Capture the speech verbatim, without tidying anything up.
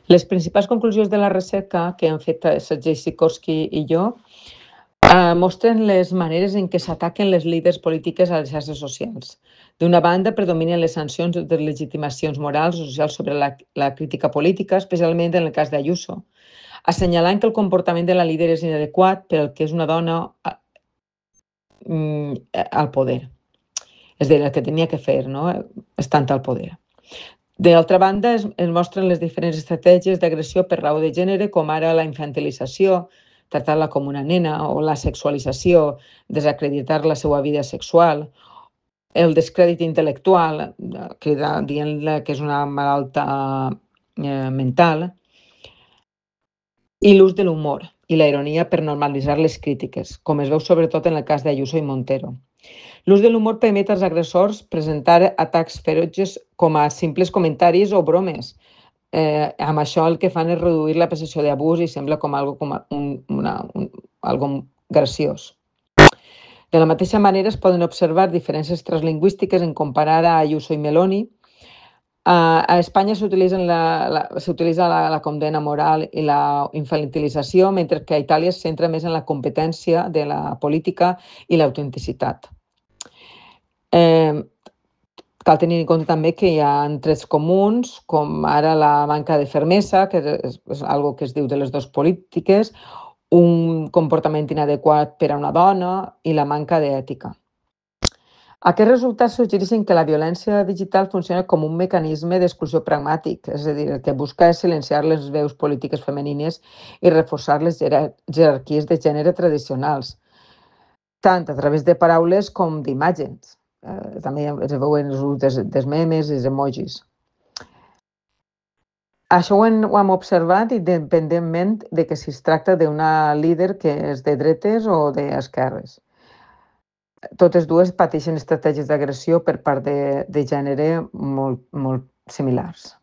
Les principals conclusions de la recerca que han fet Sergei Sikorsky i jo eh, mostren les maneres en què s'ataquen les líders polítiques a les xarxes socials. D'una banda, predominen les sancions de legitimacions morals o socials sobre la, la crítica política, especialment en el cas d'Ayuso, assenyalant que el comportament de la líder és inadequat per al que és una dona mm, al poder. És a dir, el que tenia que fer, no? Estant al poder. D'altra banda, es, es mostren les diferents estratègies d'agressió per raó de gènere, com ara la infantilització, tractar-la com una nena, o la sexualització, desacreditar la seva vida sexual, el descrèdit intel·lectual, dient-la que és una malalta eh, mental, i l'ús de l'humor i la ironia per normalitzar les crítiques, com es veu sobretot en el cas d'Ayuso i Montero. L'ús de l'humor permet als agressors presentar atacs ferotges com a simples comentaris o bromes. Eh, amb això el que fan és reduir la percepció d'abús i sembla com algo, com un, una, un, algo graciós. De la mateixa manera es poden observar diferències translingüístiques en comparar a Ayuso i Meloni. Uh, a Espanya s'utilitza la, la, la, la condena moral i la infantilització, mentre que a Itàlia es centra més en la competència de la política i l'autenticitat. Eh, cal tenir en compte també que hi ha trets comuns, com ara la manca de fermesa, que és, és algo que es diu de les dues polítiques, un comportament inadequat per a una dona i la manca d'ètica. Aquests resultats suggereixen que la violència digital funciona com un mecanisme d'exclusió pragmàtic, és a dir, el que busca és silenciar les veus polítiques femenines i reforçar les jerarquies de gènere tradicionals, tant a través de paraules com d'imatges. Eh, també es veuen els ús dels, dels memes i els emojis. Això ho hem, ho hem observat independentment de que si es tracta d'una líder que és de dretes o d'esquerres. Totes dues pateixen estratègies d'agressió per part de, de gènere molt, molt similars.